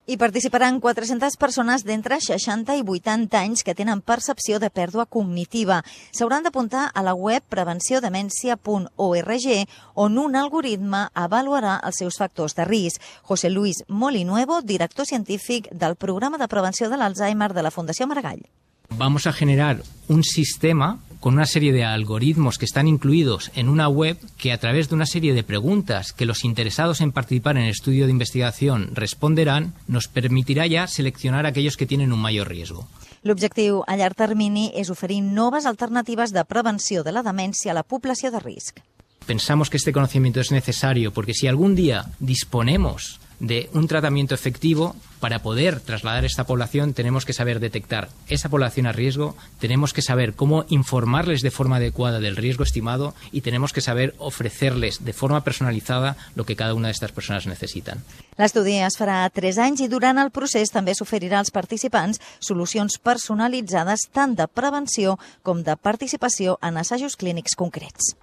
Hi participaran 400 persones d'entre 60 i 80 anys que tenen percepció de pèrdua cognitiva. S'hauran d'apuntar a la web prevenciondemencia.org, on un algoritme avaluarà els seus factors de risc. José Luis Molinuevo, director científic del Programa de Prevenció de l'Alzheimer de la Fundació Maragall. Vamos a generar un sistema con una serie de algoritmos que están incluidos en una web que, a través de una serie de preguntas que los interesados en participar en el estudio de investigación responderán, nos permitirá ya seleccionar aquellos que tienen un mayor riesgo. L'objectiu a llarg termini és oferir noves alternatives de prevenció de la demència a la població de risc. Pensamos que este conocimiento es necesario porque si algún día disponemos de un tratamiento efectivo, para poder trasladar a esta población tenemos que saber detectar esa población a riesgo, tenemos que saber cómo informarles de forma adecuada del riesgo estimado y tenemos que saber ofrecerles de forma personalizada lo que cada una de estas personas necesitan. L'estudi es farà a 3 anys i durant el procés també s'oferirà als participants solucions personalitzades tant de prevenció com de participació en assajos clínics concrets.